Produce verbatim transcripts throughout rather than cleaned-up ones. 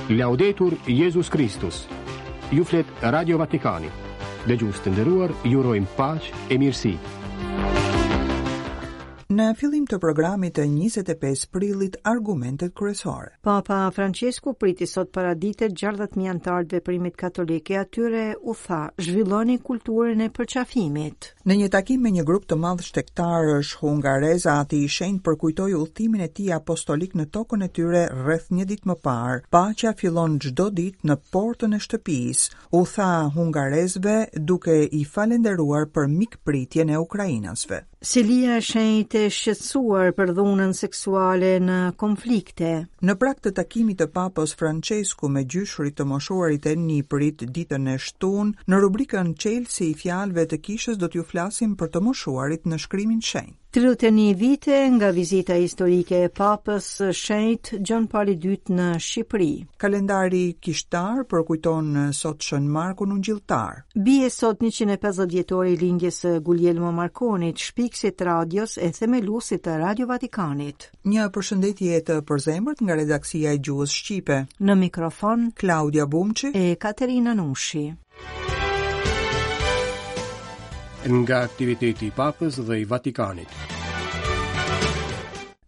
Laudetur Jezus Kristus. Ju flet Radio Vatikani. Dëgjues të nderuar, ju urojmë paqe e mirësi. Në fillim të programit të njëzet e pesë prillit, argumentet kryesore. Papa Francesku priti sot paradite gjashtëdhjetë mijë anëtarë të veprimit katolik e atyre u tha: "Zhvilloni kulturën e përqafimit." Në një takim me një grup të madh shtegtarësh hungarez, Ati i Shenjtë përkujtoi udhëtimin e tij apostolik në tokën e tyre rreth një ditë më parë. "Paqja fillon çdo ditë në portën e shtëpisë", u tha hungarezëve, duke i falenderuar për mikpritjen e ukrainasve. Selia e Shenjtë e shqetësuar për dhunën seksuale në konflikte. Në prag të takimit të Papës Francesku me gjyshërit, të moshuarit e nipërit ditën e shtunë, në rubrikën "Çelësi i fjalëve të kishës" do t'ju flasim për të moshuarit në shkrimin shenjt. tridhjetë e një vite nga vizita historike e Papës së Shenjt Gjon Pali i Dytë në Shqipëri. Kalendari kishtar përkujton sot Shën Markun Ungjilltar. Bie sot njëqind e pesëdhjetë vjetori i lindjes së Guglielmo Marconit, shpikësit të radios e themeluesit të Radio Vatikanit. Një përshëndetje të përzemërt nga redaksia e gjuhës shqipe. Në mikrofon Klaudia Bumçi e Katerina Nushi. Nga aktiviteti i Papës dhe i Vatikanit.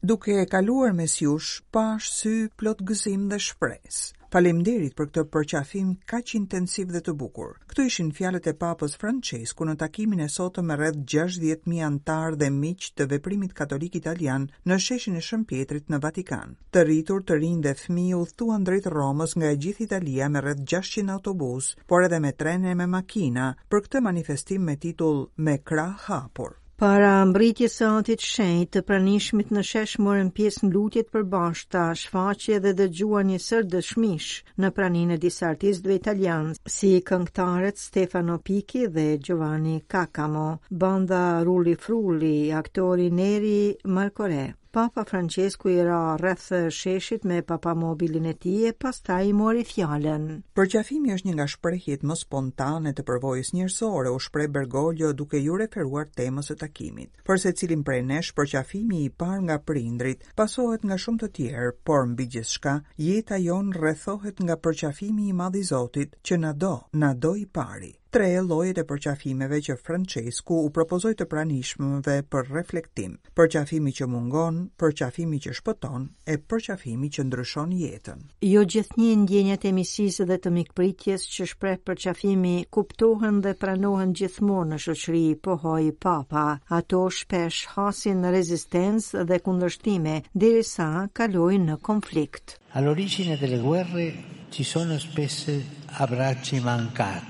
Duke kaluar mes jush, pash sy plot gëzim dhe shpresë. Faleminderit për këtë përqafim kaq intensiv dhe të bukur. Këto ishin fjalët e Papës Francesku në takimin e sotëm me rreth gjashtëdhjetë mijë anëtarë dhe miq të veprimit katolik italian në sheshin e Shën Pietrit në Vatikan. Të rritur, të rinj dhe fëmijë udhëtuan drejt Romës nga e gjithë Italia me rreth gjashtëqind autobus, por edhe me trene e me makina, për këtë manifestim me titull "Me krah hapur". Para mbërritjes së Atit Shenjt, të pranishmit në shesh morën pjesë në lutje të përbashkëta, shfaqje dhe dëgjuan një sërë dëshmish në praninë e disa artistëve italianë, si këngëtarët Stefano Picchi dhe Giovanni Caccamo, banda Rulli Frulli, aktori Neri Marcorè. Papa Francesku i ra rreth sheshit me papamobilin e tij e pastaj i mori fjalën. "Përqafimi është një nga shprehjet më spontane të përvojës njerëzore", u shpreh Bergoglio, duke iu referuar temës së takimit. "Për secilin prej nesh, përqafimi i parë nga prindrit pasohet nga shumë të tjerë, por mbi gjithçka, jeta jonë rrethohet nga përqafimi i madh i Zotit, që na do, na do i pari." Tre llojet e përqafimeve që Francesku u propozoi të pranishmëve për reflektim: përqafimi që mungon, përqafimi që shpëton e përqafimi që ndryshon jetën. "Jo gjithnjë ndjenjat e miqësisë dhe të mikpritjes që shpreh përqafimi kuptohen dhe pranohen gjithmonë në shoqëri", pohoi Papa. "Ato shpesh hasin rezistencë dhe kundërshtime derisa kalojnë në konflikt." All'origine delle guerre ci sono spesso abbracci mancati.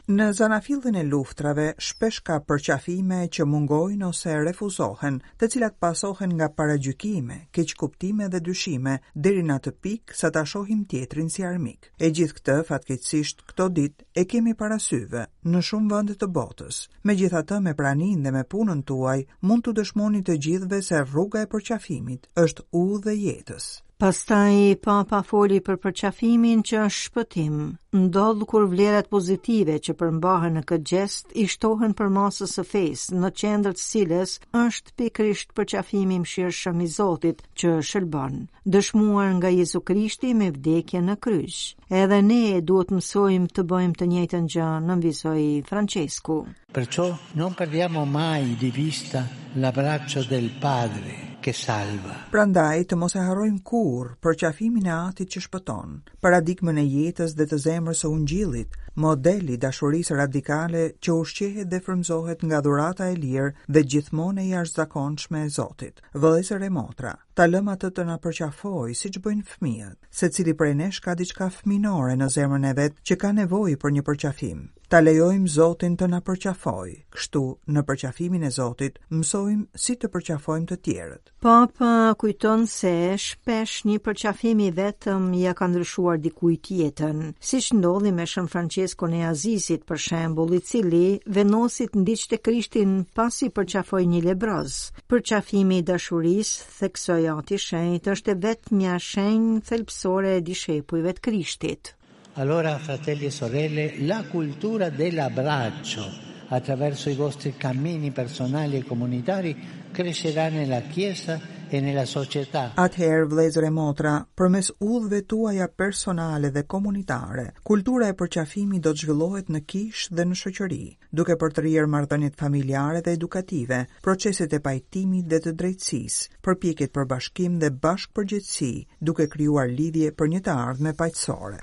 Në zanafillën e luftrave, shpesh ka përqafime që mungojnë ose refuzohen, të cilat pasohen nga paragjykime, keqkuptime dhe dyshime, deri në atë pikë sa ta shohim tjetrin si armik. E gjithë këtë, fatkeqësisht, këto ditë e kemi para syve në shumë vende të botës. Megjithatë, me praninë dhe me punën tuaj, mund t'u dëshmoni të gjithëve se rruga e përqafimit është udhë e jetës. Pastaj Papa foli për përqafimin që është shpëtim. Ndodh kur vlerat pozitive që përmbahen në këtë gjest i shtohen përmasës së fesë, në qendër të cilës është pikërisht përqafimi i mëshirshëm i Zotit që shëlbon, dëshmuar nga Jezu Krishti me vdekjen në kryq. "Edhe ne duhet mësojmë të bëjmë të njëjtën gjë", nënvizoi Francesku. Perciò non perdiamo mai di vista l'abbraccio del Padre che salva. Prandaj të mos e harrojmë kurrë përqafimin e Atit që shpëton, paradigmën e jetës dhe të zemrës së Ungjillit, model i dashurisë radikale që ushqehet dhe frymëzohet nga dhurata e lirë dhe gjithmonë e jashtëzakonshme e Zotit. Vëllezër e motra, ta lëmë atë të na përqafojë siç bëjnë fëmijët. Secili prej nesh ka diçka fëminore në zemrën e vet që ka nevojë për një përqafim. Ta lejojmë Zotin të na përqafojë. Kështu, në përqafimin e Zotit, mësojmë si të përqafojmë të tjerët. Papa kujton se shpesh një përqafim i vetëm ja ka ndryshuar dikujt jetën, siç ndodhi me Shën Franceskon e Azizit, për shembull, i cili vendosi të ndiqte Krishtin pasi përqafoi një lebroz. Përqafimi i dashurisë, theksoi Ati Shenjt, është e vetmja shenjë thelbësore e dishepujve të Krishtit. Allora, fratelli e sorelle, la cultura dell'abbraccio attraverso i vostri cammini personali e comunitari crescerà nella Chiesa e nella società. Atëherë, vëllezër e motra, përmes udhëve tuaja personale dhe komunitare, kultura e përqafimit do të zhvillohet në kishë dhe në shoqëri, duke përtërirë marrëdhëniet familjare dhe edukative, proceset e pajtimit dhe të drejtësisë, përpjekjet për bashkim dhe bashkëpërgjegjësi, duke krijuar lidhje për një të ardhme paqësore.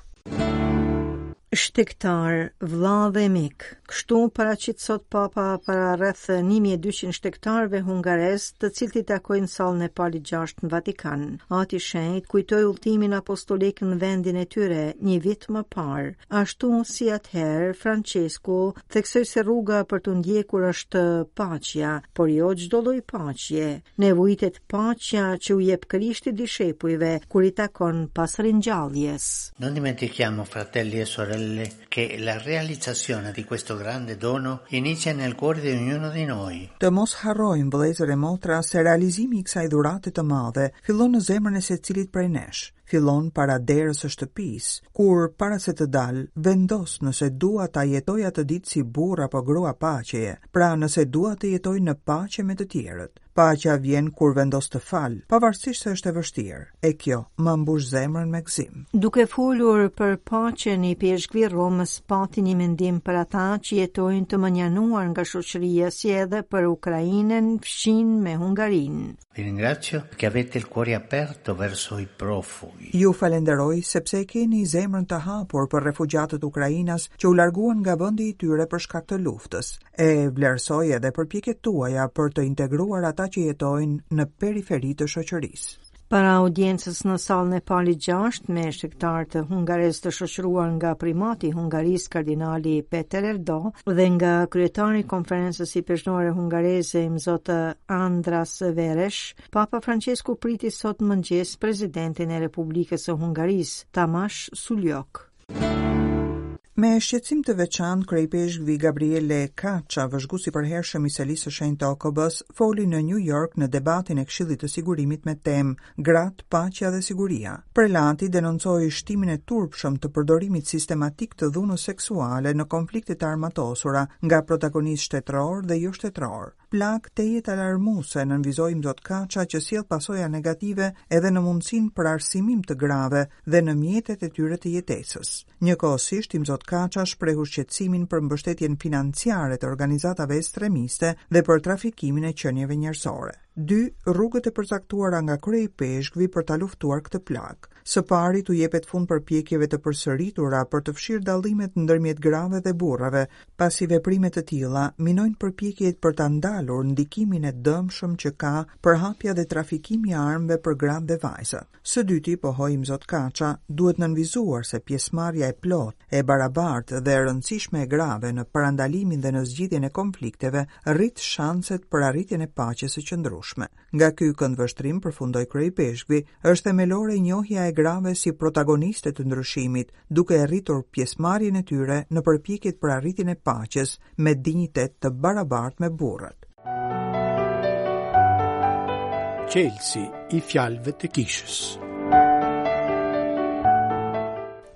Shtegtar, vlla dhe mik. Kështu paraqit sot Papa para rreth një mijë e dyqind shtegtarëve hungarez, të cilët i takojnë sallën e Palit gjashtë në Vatikan. Ati Shenjt kujtoi udhëtimin apostolik në vendin e tyre një vit më parë. Ashtu si atëherë, Francesku theksoi se rruga për të ndjekur është paqja, por jo çdo lloj paqje. Nevojitet paqja që u jep Krishti dishepujve kur i takon pas ringjalljes. Non dimentichiamo, fratelli e sorelle, che la realizzazione di questo grande dono inizia nel cuore di ognuno di noi. Të mos harrojmë, vëllezër e motra, se realizimi i kësaj dhurate të madhe fillon në zemrën e secilit prej nesh. Fillon para derës së shtëpisë, kur para se të dal, vendos nëse dua ta jetoj atë ditë si burr apo grua paqeje, pra nëse dua të jetoj në paqe me të tjerët. Paqja vjen kur vendos të fal, pavarësisht se është e vështirë, e kjo më mbush zemrën me gëzim. Duke folur për paqen, i peshkvi Romës pati një mendim për ata që jetojnë të mënjanuar nga shoqëria, si edhe për Ukrainën fqin me Hungarinë. Vi ringrazio che avete il cuore aperto verso i profughi. Ju falenderoj sepse e keni zemrën të hapur për refugjatët ukrainas që u larguan nga vendi i tyre për shkak të luftës. E vlerësoj edhe përpjekjet tuaja për të integruar ata që jetojnë në periferi të shoqërisë. Para audiencës në sallën e Palit gjashtë me shtegtarë të hungarez të shoqëruar nga primati i Hungarisë kardinali Peter Erdo dhe nga kryetari i konferencës ipeshkvore hungareze Imzot Andras Veresh, Papa Francesku priti sot në mëngjes presidentin e Republikës së Hungarisë, Tamas Sulyok. Me shqetësim të veçantë, kryepeshkvi Gabriele Caccia, vëzhguesi i përhershëm i selisë së shenjtë të O K B-s, foli në New York në debatin e Këshillit të Sigurimit me temë Gratë, paqja dhe siguria. Prelati denoncoi shtimin e turpshëm të përdorimit sistematik të dhunës seksuale në konflikte të armatosura nga protagonistë shtetëror dhe jo shtetëror. Plak tejet alarmuese nënvizoi Imzot Caccia që sjell pasoja negative edhe në mundësinë për arsimim të grave dhe në mjetet e tyre të jetesës. Njëkohësisht Imzot Caccia shprehu shqetësimin për mbështetjen financiare të organizatave ekstremiste dhe për trafikimin e qenieve njerëzore. Dy rrugët e përcaktuara nga kryepeshkvi për ta luftuar këtë plak. Së pari t'u jepet fund përpjekjeve të përsëritura për të fshirë dallimet ndërmjet grave dhe burrave, pasi veprime të tilla minojnë përpjekjet për ta ndalur ndikimin e dëmshëm që ka përhapja dhe trafikimi i armëve për gratë dhe vajzat. Së dyti, pohoi Imzot Caccia, duhet nënvizuar se pjesëmarrja e plotë, e barabartë dhe e rëndësishme e grave në parandalimin dhe në zgjidhjen e konflikteve rrit shanset për arritjen e paqes së qëndrueshme. Nga ky këndvështrim, përfundoi kryepeshkvi, është themelore njohja e grave si protagoniste të ndryshimit, duke e rritur pjesëmarrjen e tyre në përpjekjet për arritjen e paqes me dinjitet të barabartë me burrat. Çelësi i fjalëve të kishës.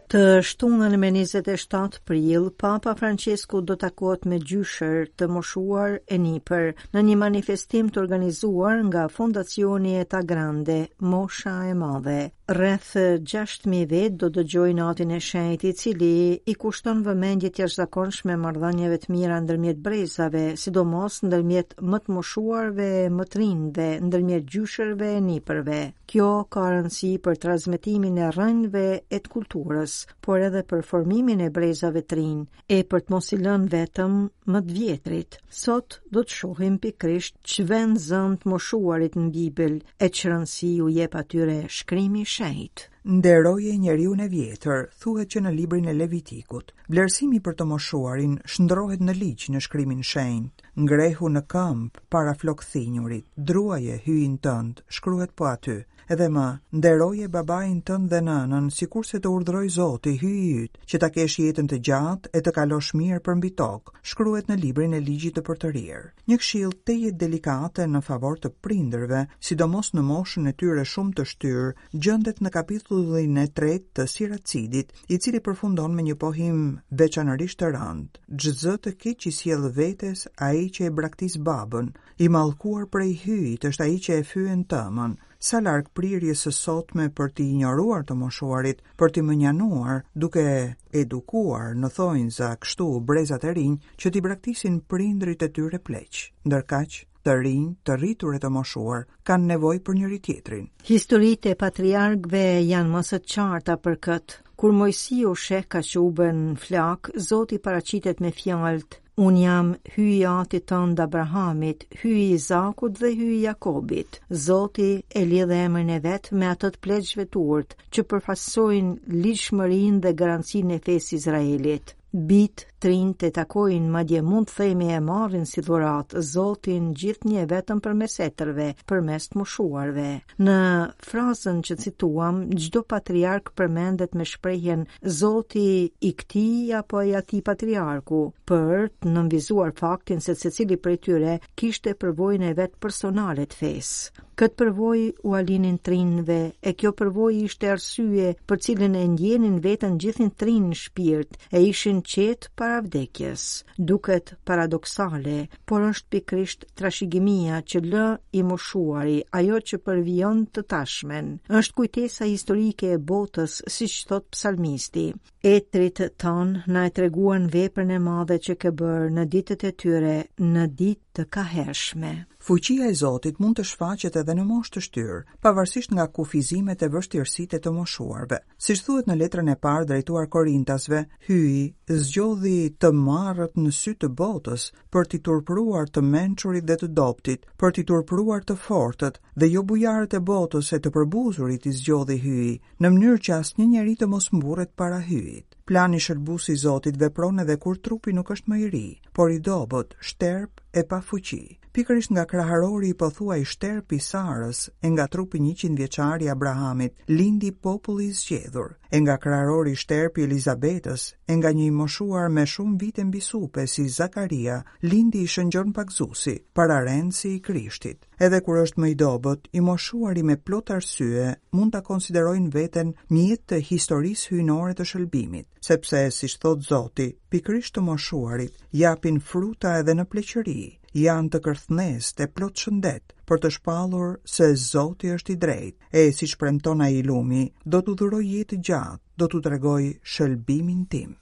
Të shtunën me njëzet e shtatë prill, Papa Francesku do takohet me gjyshër të moshuar e nipër në një manifestim të organizuar nga Fondacioni Età Grande, Mosha e Madhe. Rreth gjashtë mijë vetë do dëgjojnë Atin e Shenjtë, i cili i kushton vëmendje të jashtëzakonshme marrëdhënieve të mira ndërmjet brezave, sidomos ndërmjet më të moshuarve e më të rinjve, ndërmjet gjyshërve e nipërve. Kjo ka rëndësi për transmetimin e rrënjëve e të kulturës, por edhe për formimin e brezave të rinj, e për të mos i lënë vetëm më të vjetrit. Sot do të shohim pikërisht ç'vend zënë të moshuarit në Bibël e ç'rëndësi u jep atyre shkrimi i shenjtë. Nderoje njeriun e vjetër, thuhet që në librin e Levitikut. Vlerësimi për të moshuarin shndrohet në ligj në shkrimin shenjt. Ngrehu në këmbë para flokthinjurit, druaje hyjin tënd, shkruhet po aty. Edhe më, nderoje babain tënd dhe nënën, sikurse të urdhëroi Zoti, hyji yt, që ta kesh jetën të gjatë e të kalosh mirë përmbi tokë, shkruhet në librin e ligjit të përtërirë. Një këshill tejet delikate në favor të prindërve, sidomos në moshën e tyre shumë të shtyrë, gjendet në kapitullin e tretë të Siracidit, i cili përfundon me një pohim veçanërisht të rëndë. Ç'zë të keq i sjell vetes ai ai që e braktis babën, i mallkuar prej Hyjit është ai që e fyen tëmën. Sa larg prirjes së sotme për t'i injoruar të moshuarit, për t'i mënjanuar, duke edukuar në thonjza kështu brezat e rinj që t'i braktisin prindrit e tyre pleq. Ndërkaq, të rinj, të rritur e të moshuar kanë nevojë për njëri tjetrin. Historitë e patriarkëve janë më së qarta për këtë. Kur Mojsiu sheh kaçubën flak, Zoti paraqitet me fjalët: Unë jam Hyji i atit tënd Abrahamit, Hyji i Izakut dhe Hyji i Jakobit. Zoti e lidh emrin e vet me atë të pleqve të urtë, që përfaqësojnë ligjshmërinë dhe garancinë e fesë Izraelit. Bit trinjtë e takojnë, madje mund të themi e marrin si dhuratë Zotin gjithnjë vetëm përmes etërve, përmes të moshuarve. Në frazën që cituam, çdo patriark përmendet me shprehjen Zoti i këtij apo i atij patriarku, për të nënvizuar faktin se secili prej tyre kishte përvojën e vet personale të fesë. Këtë përvojë ua linin trinjve, e kjo përvojë ishte arsye për cilën e ndjenin veten gjithin trinj në shpirt, e ishin qetë para vdekjes. Duket paradoksale, por është pikërisht trashëgimia që lë i moshuari, ajo që përvijon të tashmen. Është kujtesa historike e botës, siç thot psalmisti. Etrit tanë na e treguan veprën e madhe që ke bërë në ditët e tyre, në ditë të kahershme. Fuqia e Zotit mund të shfaqet edhe në moshë të shtyrë, pavarësisht nga kufizimet e vështirësitë e të moshuarve. Siç thuhet në letrën e parë drejtuar Korintasve, Hyji zgjodhi të marrët në sy të botës për t'i turpëruar të mençurit dhe të dobtit, për t'i turpëruar të fortët dhe jo bujarët e botës e të përbuzurit i zgjodhi Hyji, në mënyrë që asnjë njeri të mos mburret para Hyjit. Plani shëlbues i Zotit vepron edhe kur trupi nuk është më i ri, por i dobët, shterp e pa fuqi. Pikërisht nga kraharori i pothuaj shterp i Sarës e nga trupi njëqind vjeçar i Abrahamit lindi populli i zgjedhur, e nga kraharori shterp i Elizabetës e nga një i moshuar me shumë vite mbi supe si Zakaria lindi i Shën Gjon Pagëzuesi, pararendësi i Krishtit. Edhe kur është më i dobët, i moshuari me plot arsye mund ta konsiderojnë veten mjet të historisë hyjnore të shëlbimit, sepse, siç thot Zoti, pikërisht të moshuarit japin fruta edhe në pleqëri, janë të kërthnestë e plot shëndet për të shpallur se Zoti është i drejtë, e siç premton ai i lumi, do t'u dhuroj jetë gjatë, do t'u tregoj shëlbimin tim.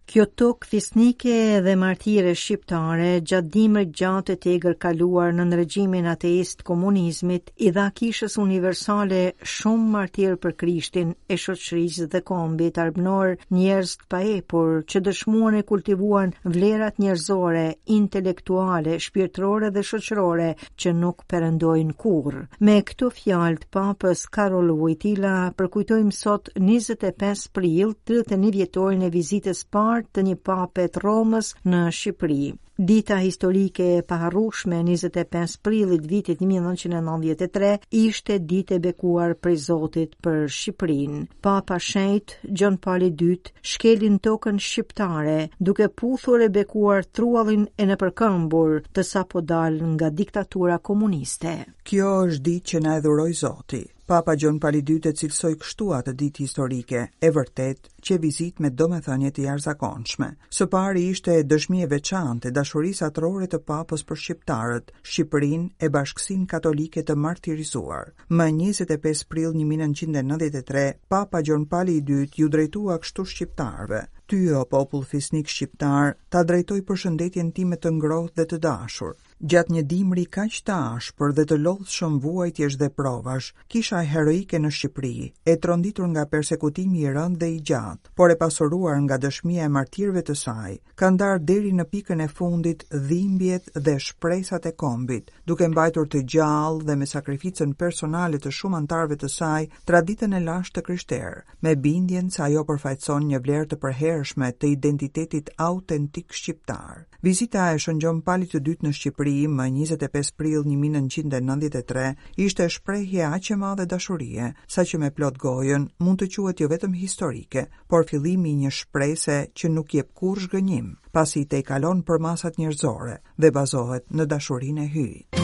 Kjo tokë fisnike dhe martire shqiptare gjatë dimrit gjatë e tegër kaluar nën regjimin ateist komunizmit i dha kishës universale shumë martirë për Krishtin e shoqërisë dhe kombit arbnor, njerëz të paepur që dëshmuan e kultivuan vlerat njerëzore, intelektuale, shpirtërore dhe shoqërore që nuk perëndojnë kurrë. Me këto fjalë të Papës Karol Wojtyla përkujtojmë sot njëzet e pesë prill, tridhjetë e një vjetorin e vizitës parë të një pape të Romës në Shqipëri. Dita historike e paharrueshme e njëzet e pesë prillit vitit një mijë e nëntëqind e nëntëdhjetë e tre ishte ditë e bekuar prej Zotit për Shqipërinë. Papa Shenjt Gjon Pali i dytë shkeli në tokën shqiptare duke puthur e bekuar truallin e nëpërkëmbur të sapo dalë nga diktatura komuniste. Kjo është ditë që na e dhuroi Zoti. Papa Gjon Pali i dytë e cilësoi kështu atë ditë historike, e vërtet që vizitë me domethënie të jashtëzakonshme. Së pari ishte dëshmi e veçantë e dashurisë atërore të Papës për shqiptarët, Shqipërinë e bashkësinë katolike të martirizuar. Më njëzet e pesë prill një mijë e nëntëqind e nëntëdhjetë e tre, Papa Gjon Pali i dytë ju drejtua kështu shqiptarëve: Ty, o popull fisnik shqiptar, ta drejtoj përshëndetjen time të ngrohtë dhe të dashur. Gjatë një dimri kaq të ashpër dhe të lodhshëm vuajtjesh dhe provash, kisha heroike në Shqipëri, e tronditur nga persekutimi i rëndë dhe i gjatë, por e pasuruar nga dëshmia e martirëve të saj, ka ndarë deri në pikën e fundit dhimbjet dhe shpresat e kombit, duke mbajtur të gjallë dhe me sakrificën personale të shumë anëtarëve të saj traditën e lashtë të krishterë, me bindjen se ajo përfaqëson një vlerë të përhershme të identitetit autentik shqiptar. Vizita e Shën Gjon Palit të dytë në Shqipëri më njëzet e pesë prill një mijë e nëntëqind e nëntëdhjetë e tre ishte shprehje aq e madhe dashurie, saqë me plot gojën mund të quhet jo vetëm historike, por fillimi i një shprese që nuk jep kurrë zhgënjim, pasi i tejkalon përmasat njerëzore dhe bazohet në dashurinë e Hyjit.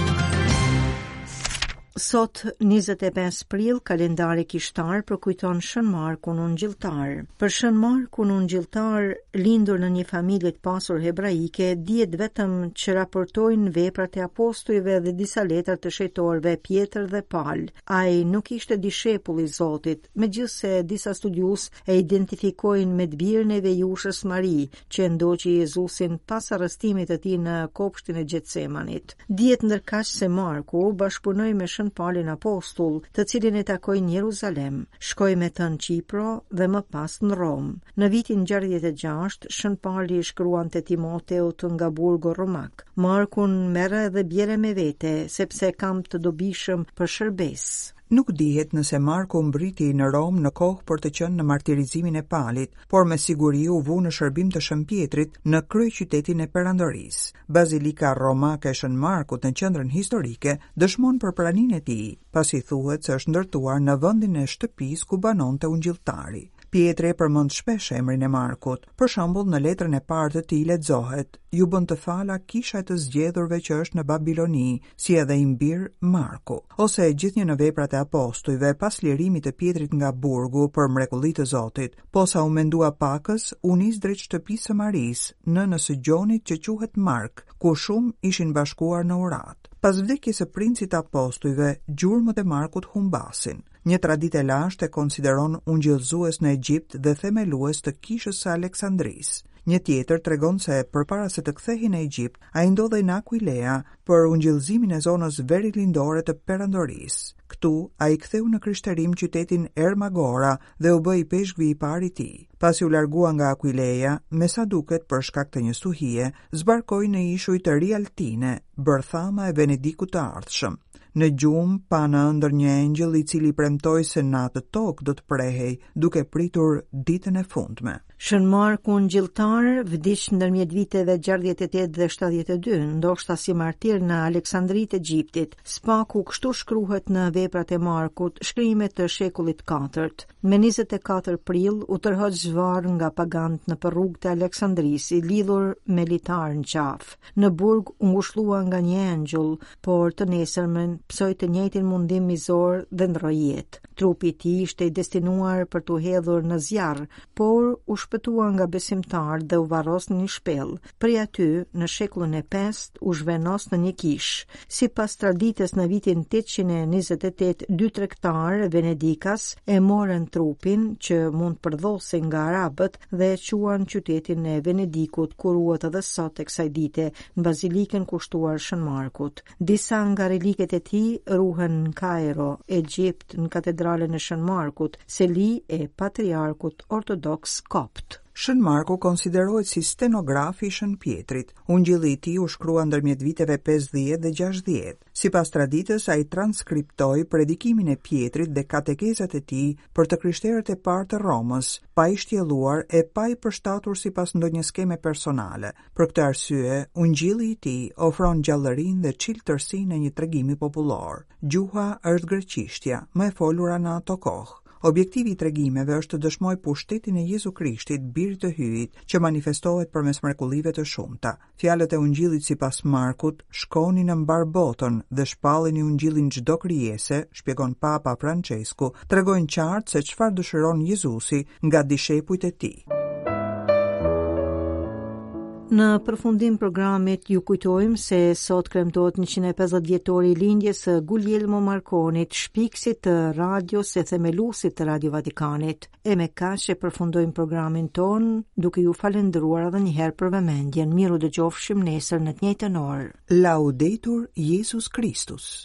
Sot, njëzet e pesë prill, kalendari kishtar përkujton Shën Markun Ungjilltar. Për Shën Markun Ungjilltar, lindur në një familje të pasur hebraike, dihet vetëm që raportojnë veprat e apostujve dhe disa letra të shejtorëve Pjetër dhe Pal. Ai nuk ishte dishepull i Zotit, megjithëse disa studiues e identifikojnë me të birin e vejushës Mari, që e ndoqi Jezusin pas arrestimit të tij në kopshtin e Gjetsemanit. Dihet ndërkaq se Marku bashkëpunoi me Shën Palin Apostull, të cilin e takoi në Jeruzalem, shkoi me të në Qipro dhe më pas në Romë. Në vitin gjashtëdhjetë e gjashtë, Shën Pali shkruante Timoteut nga burgu romak: Markun merre dhe bjere me vete, sepse kam të dobishëm për shërbesë. Nuk dihet nëse Marku mbriti në Romë në kohë për të qenë në martirizimin e Palit, por me siguri u vu në shërbim të Shën Pjetrit në kryeqytetin e Perandorisë. Bazilika romake e Shën Markut në qendrën historike dëshmon për praninë e tij, pasi thuhet se është ndërtuar në vendin e shtëpisë ku banonte ungjilltari. Pjetri e përmend shpesh emrin e Markut. Për shembull, në letrën e parë të tij lexohet: "Ju bën të fala kisha e të zgjedhurve që është në Babiloni, si edhe im bir Marku." Ose gjithnjë në veprat e apostujve, pas lirimit të Pjetrit nga burgu për mrekulli të Zotit, posa u mendua pakës, u nis drejt shtëpisë së Marisë, nënës së Gjonit që quhet Mark, ku shumë ishin bashkuar në urat. Pas vdekjes së princit të apostujve, gjurmët e Markut humbasin. Një traditë e lashtë e konsideron ungjillëzues në Egjipt dhe themelues të kishës së Aleksandrisë. Një tjetër tregon se përpara se të kthehej në Egjipt, ai ndodhej në Aquilea për ungjillëzimin e zonës verilindore të Perandorisë. Këtu ai ktheu në krishterim qytetin Ermagora dhe u bë ipeshkvi i parë i tij. Pasi u largua nga Aquilea, me sa duket për shkak të një stuhie, zbarkoi në ishuj të Rialtine, bërthama e Venedikut të ardhshëm. Në gjumë pa në ëndër një engjëll i cili premtoi se në atë tokë do të prehej, duke pritur ditën e fundme. Shën Marku Ungjilltar vdiq ndërmjet viteve gjashtëdhjetë e tetë dhe shtatëdhjetë e dy, ndoshta si martir në Aleksandri të Egjiptit. Spaku kështu shkruhet në veprat e Markut, shkrime të shekullit katërt. Me njëzet e katër prill u tërhoq zvarr nga pagant në rrugë të Aleksandrisë, i lidhur me litar në qafë. Në burg u ngushllua nga një engjëll, por të nesërmen psoi të njëjtin mundim mizor dhe ndroi jetë. Trupi i tij ishte i destinuar për t'u hedhur në zjarr, por u shpëtua nga besimtarët dhe u varros në një shpellë. Prej aty, në shekullin e pestë, u zhvendos në një kishë. Sipas traditës, në vitin tetëqind e njëzet e tetë, dy tregtarë venedikas e morën trupin që mund përdhosej nga arabët dhe e quan qytetin e Venedikut, ku ruhet edhe sot e kësaj dite në bazilikën kushtuar Shën Markut. Disa nga reliket e tij ruhen në Kairo, Egjipt, në katedralen e Shën Markut, seli e patriarkut ortodoks kopt. Shën Marku konsiderohet si stenografi i Shën Pjetrit. Ungjilli i tij u shkrua ndërmjet viteve pesëdhjetë dhe gjashtëdhjetë. Sipas traditës, ai transkriptoi predikimin e Pjetrit dhe katekezat e tij për të krishterët e parë të Romës, pa i shtjelluar e pa i përshtatur sipas ndonjë skeme personale. Për këtë arsye, ungjilli i tij ofron gjallërinë dhe çiltërsinë e një tregimi popullor. Gjuha është greqishtja, më e folura në ato kohë. Objektivi i tregimeve është të dëshmojë pushtetin e Jezu Krishtit, birit të Hyjit, që manifestohet përmes mrekullive të shumta. Fjalët e ungjillit sipas Markut, shkoni në mbar botën dhe shpallini ungjillin çdo krijese, shpjegon Papa Francesku, tregojnë qartë se çfarë dëshiron Jezusi nga dishepujt e tij. Në përfundim programit ju kujtojmë se sot kremtohet njëqind e pesëdhjetë vjetori i lindjes së Guglielmo Marconit, shpikësit të radios e themeluesit të Radio Vatikanit. E me kaq e përfundojmë programin ton, duke ju falendëruar edhe një herë për vëmendjen. Miru dëgjofshim nesër në të njëjtën orë. Laudetur Jezus Kristus.